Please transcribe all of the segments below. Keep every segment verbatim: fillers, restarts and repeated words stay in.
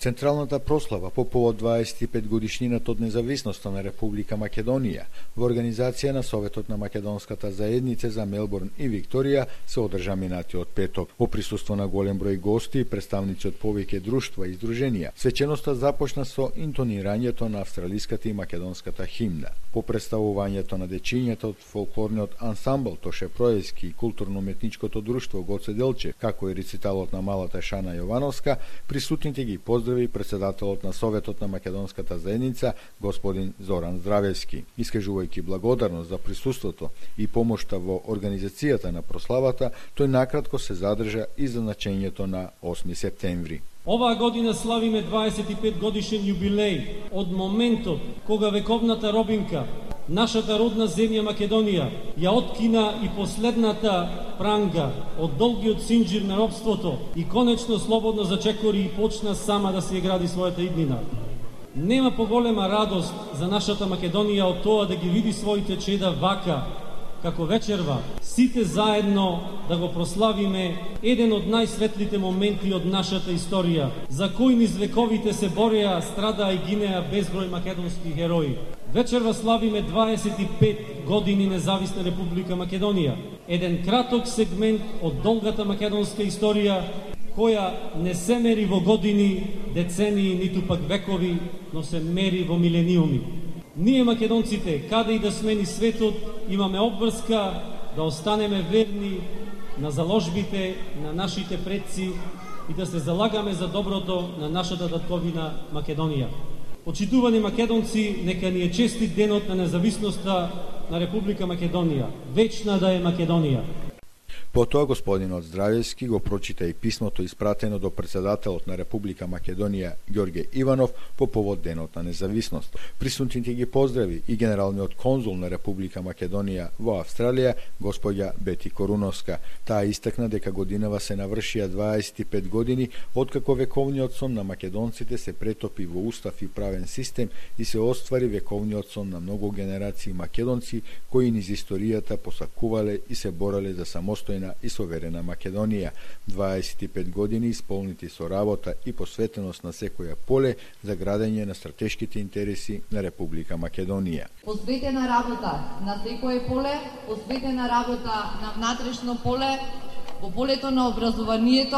Централната прослава по повод дваесет и пет годишнината од независноста на Република Македонија во организација на Советот на Македонската заедница за Мелбурн и Викторија се одржа минатиот петок. Во присуство на голем број гости и представници од повеќе друштва и здруженија, свеченоста започна со интонирањето на австралиската и македонската химна. По представувањето на дечињата од фолклорниот ансамбл Тоше Проески и културно-уметничкото друштво Гоце Делчев, како и рециталот на малата Шана Јовановска, присутните ги поздрави председателот на Советот на Македонската заедница господин Зоран Здравевски. Искажувајќи благодарност за присуството и помошта во организацијата на прославата, тој накратко се задржа и за значењето на осми септември. Оваа година славиме дваесет и пет годишен јубилеј од моментот кога вековната робинка, нашата родна земја Македонија, ја откина и последната пранга од долгиот синџир на робството и конечно слободно зачекори и почна сама да се гради својата иднина. Нема поголема радост за нашата Македонија од тоа да ги види своите чеда вака, како вечерва, сите заедно да го прославиме еден од најсветлите моменти од нашата историја, за кој низ вековите се бореа, страдаа и гинеа безброј македонски герои. Вечерва славиме дваесет и пет години независна Република Македонија, еден краток сегмент од долгата македонска историја, која не се мери во години, децении, ниту пак векови, но се мери во милениуми. Ние македонците, каде и да сме ни светот, имаме обврска да останеме верни на заложбите на нашите предци и да се залагаме за доброто на нашата татковина Македонија. Почитувани македонци, нека ни е честит денот на независноста на Република Македонија. Вечна да е Македонија. Потоа господинот Здравевски го прочита и писмото испратено до председателот на Република Македонија Ѓорѓе Иванов по повод денот на независност. Присутните ги поздрави и генералниот конзул на Република Македонија во Австралија господја Бети Коруновска. Таа истакна дека годинава се навршија дваесет и пет години откако вековниот сон на македонците се претопи во устав и правен систем и се оствари вековниот сон на многу генерации македонци кои низ историјата посакувале и се бореле за самостојна и соверена Македонија. дваесет и пет години исполнити со работа и посветеност на секоја поле за градење на стратешките интереси на Република Македонија. Посветена работа на секое поле, посветена работа на внатрешно поле, во полето на образованието,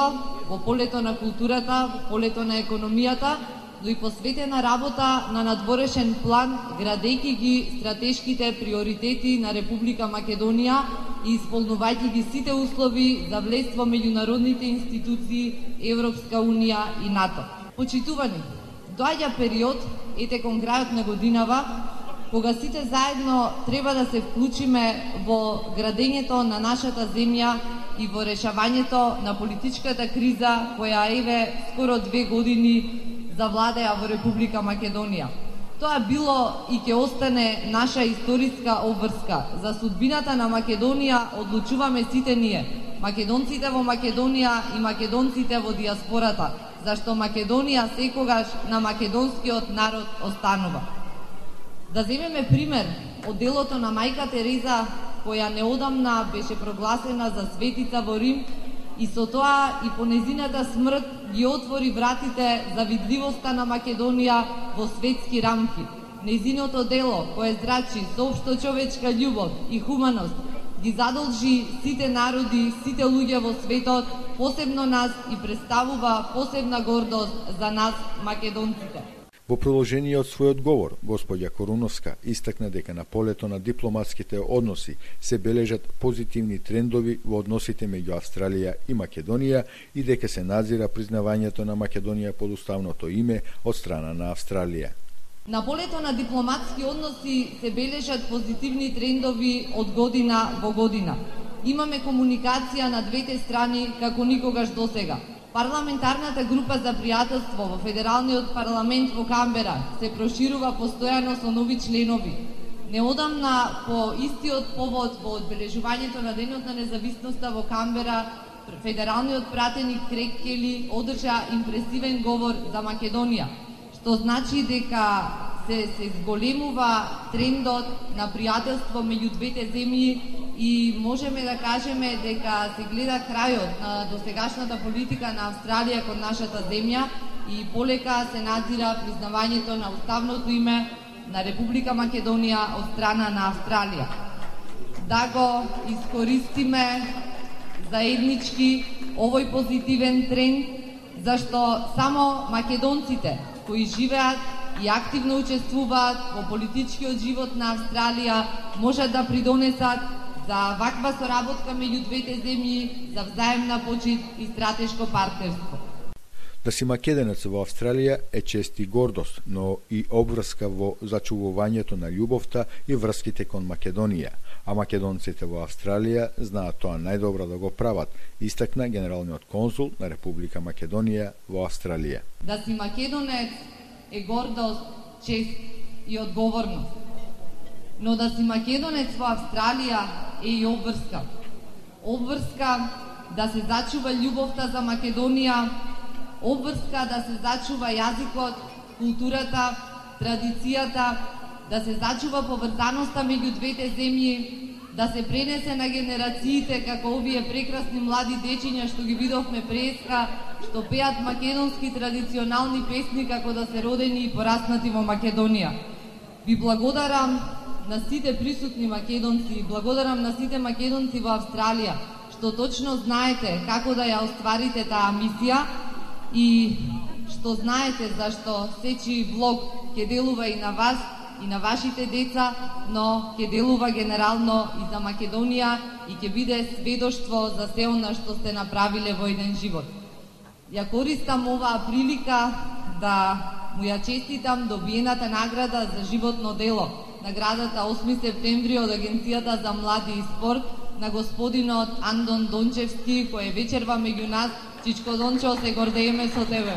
во полето на културата, во полето на економијата, но и посветена работа на надворешен план, градејќи ги стратешките приоритети на Република Македонија и исполнувајќи ги сите услови за влез во меѓународните институции, Европска Унија и НАТО. Почитувани, доаѓа период, ете кон крајот на годинава, кога сите заедно треба да се вклучиме во градењето на нашата земја и во решавањето на политичката криза која еве скоро две години завладеа во Република Македонија. Тоа било и ќе остане наша историска обврска. За судбината на Македонија одлучуваме сите ние, македонците во Македонија и македонците во диаспората, зашто Македонија секогаш на македонскиот народ останува. Да земеме пример од делото на мајка Тереза, која неодамна беше прогласена за светица во Рим, и со тоа и по незината смрт ги отвори вратите за видливоста на Македонија во светски рамки. Незиното дело, кое зрачи соопшто човечка љубов и хуманост, ги задолжи сите народи, сите луѓе во светот, посебно нас, и представува посебна гордост за нас, македонците. Во продолжение од својот говор, господја Коруновска истакна дека на полето на дипломатските односи се бележат позитивни трендови во односите меѓу Австралија и Македонија и дека се надзира признавањето на Македонија под уставното име од страна на Австралија. На полето на дипломатски односи се бележат позитивни трендови од година во година. Имаме комуникација на двете страни како никогаш досега. Парламентарната група за пријателство во Федералниот парламент во Камбера се проширува постојано со нови членови. Неодамна по истиот повод во одбележувањето на Денот на независноста во Камбера, федералниот пратеник Крейг Кели одржа импресивен говор за Македонија, што значи дека се се зголемува трендот на пријателство меѓу двете земји и можеме да кажеме дека се гледа крајот на досегашната политика на Австралија кон нашата земја, и полека се надзира признавањето на уставното име на Република Македонија од страна на Австралија. Да го искористиме заеднички овој позитивен тренд, зашто само македонците кои живеат и активно учествуваат во политичкиот живот на Австралија можат да придонесат за ваква соработка меѓу двете земји, за взаемна почит и стратешко партнерство. Да си македонец во Австралија е чест и гордост, но и обврска во зачувувањето на љубовта и врските кон Македонија, а македонците во Австралија знаат тоа најдобро да го прават, истакна генералниот конзул на Република Македонија во Австралија. Да си македонец е гордост, чест и одговорност. Но да си македонец во Австралија е и обврска. Обврска да се зачува љубовта за Македонија, обврска да се зачува јазикот, културата, традицијата, да се зачува поврзаноста меѓу двете земји, да се пренесе на генерациите како овие прекрасни млади дечиња што ги видовме преска, што пеат македонски традиционални песни како да се родени и пораснати во Македонија. Ви благодарам на сите присутни македонци, благодарам на сите македонци во Австралија, што точно знаете како да ја остварите таа мисија и што знаете зашто сечи влог ќе делува и на вас, и на вашите деца, но ќе делува генерално и за Македонија и ќе биде сведоштво за се она што сте направиле во еден живот. Ја користам оваа прилика да му ја честитам добиената награда за животно дело, наградата осми септември од Агенцијата за млади и спорт на господинот Андон Дончевски, кој е вечерва меѓу нас. Чичко Дончо, се гордееме со тебе.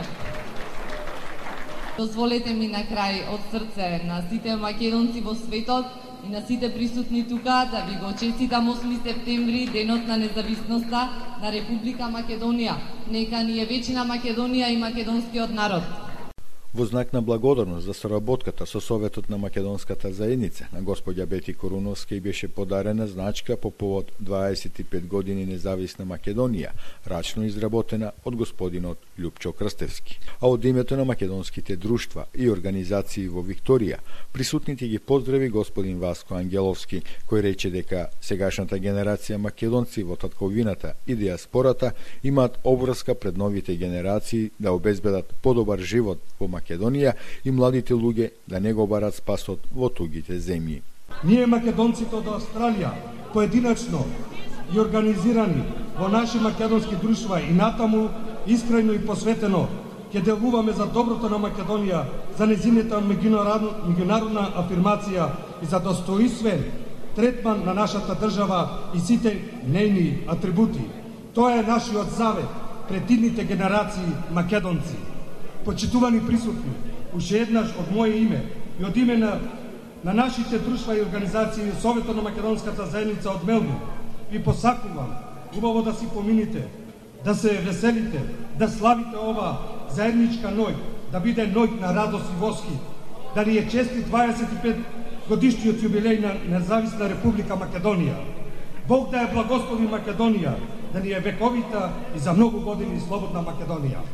Дозволете ми на крај од срце на сите македонци во светот и на сите присутни тука да ви го честитам осми септември, денот на независноста на Република Македонија. Нека ни е вечна Македонија и македонскиот народ. Во знак на благодарност за соработката со Советот на македонската заедница, на господја Бети Коруновска и беше подарена значка по повод дваесет и пет години независна Македонија, рачно изработена од господинот Љупчо Крстевски. А од името на македонските друштва и организации во Викторија, присутните ги поздрави господин Васко Ангеловски, кој рече дека сегашната генерација македонци во татковината и диаспората имаат обврска пред новите генерации да обезбедат подобар живот во Македонија и младите луѓе да не го барат спасот во тугите земји. Ние македонците од Австралија, поединачно и организирани во наши македонски друштва и натаму искрено и посветено ќе делуваме за доброто на Македонија, за нејзината меѓународна афирмација и за достоинствен третман на нашата држава и сите нејни атрибути. Тоа е нашиот завет пред идните генерации македонци. Почитувани присутни, уште еднаш од моје име и од име на, на нашите друштва и организации Советот на македонската заедница од Мелбурн, ви посакувам убаво да си помините, да се веселите, да славите ова заедничка ноќ, да биде ноќ на радост и восхит, да ни е чести дваесет и пет годишниот јубилеј на независна Република Македонија. Бог да ја благослови Македонија, да ни е вековита и за многу години слободна Македонија.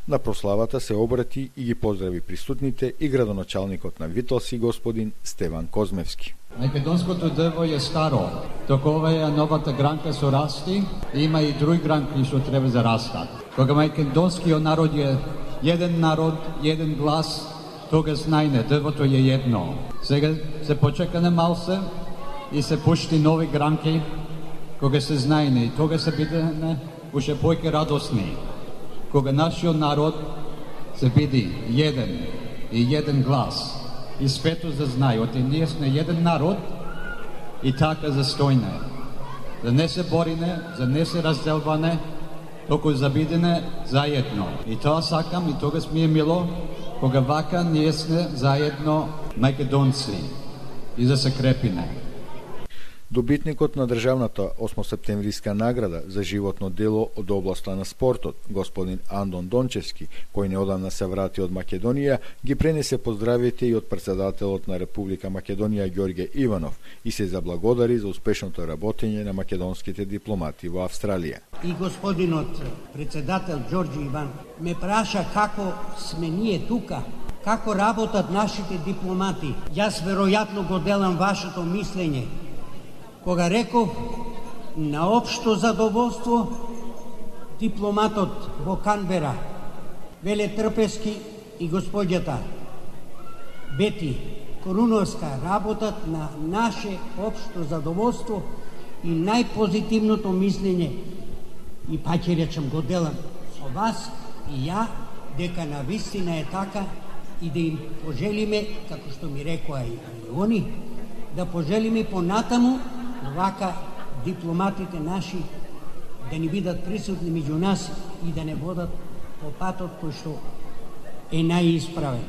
На прославата се обрати и ги поздрави присутните и градоначалникот на Витолси господин Стеван Козмевски. Македонското дрво е старо, току ова е новата гранка со расти, има и други гранки што треба за растат. Кога македонскиот народ е еден народ, еден глас, тогаш најне дрвото е едно. Сега се почекане малце и се пушти нови гранки, кога се знајне и тога се бидеме уште поќе радосни. Кога нашиот народ се биде еден и еден глас и светот да знае, оти ние сме еден народ и така застојне. Да не се борине, за не се разделване, току за бидене заедно. И тоа сакам и тогаш ми е мило, кога вака ние сме заедно македонци и да се крепине. Добитникот на државната осмосептемвриска награда за животно дело од областа на спортот, господин Андон Дончевски, кој неодамна се врати од Македонија, ги пренесе поздравите и од председателот на Република Македонија Ѓорѓе Иванов и се заблагодари за успешното работење на македонските дипломати во Австралија. И господинот председател Ѓорѓе Иван ме праша како сме ние тука, како работат нашите дипломати. Јас веројатно го делам вашето мислење. Кога реков на општо задоволство, дипломатот во Канбера, Веле Трпески и господјата Бети Коруновска работат на наше општо задоволство и најпозитивното мислење, и па ќе речем го делам со вас и ја, дека на вистина е така, и да им пожелиме, како што ми рекоа и они, да пожелиме понатаму вака дипломатите наши да ни бидат присутни меѓу нас и да не водат по патот кој што е најисправен.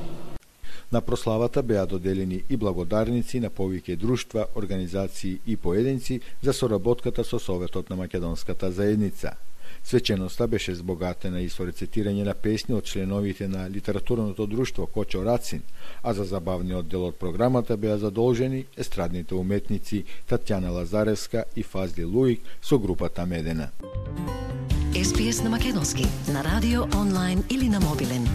На прославата беа доделени и благодарници на повеќе друштва, организации и поединци за соработката со Советот на македонската заедница. Свеченоста беше збогатена и со рецитирање на песни од членовите на литературното друштво Кочо Рацин, а за забавниот дел од програмата беа задолжени естрадните уметници Татјана Лазаревска и Фазли Луик со групата Медена. Ес Би Ес на македонски, на радио, онлайн или на мобилен.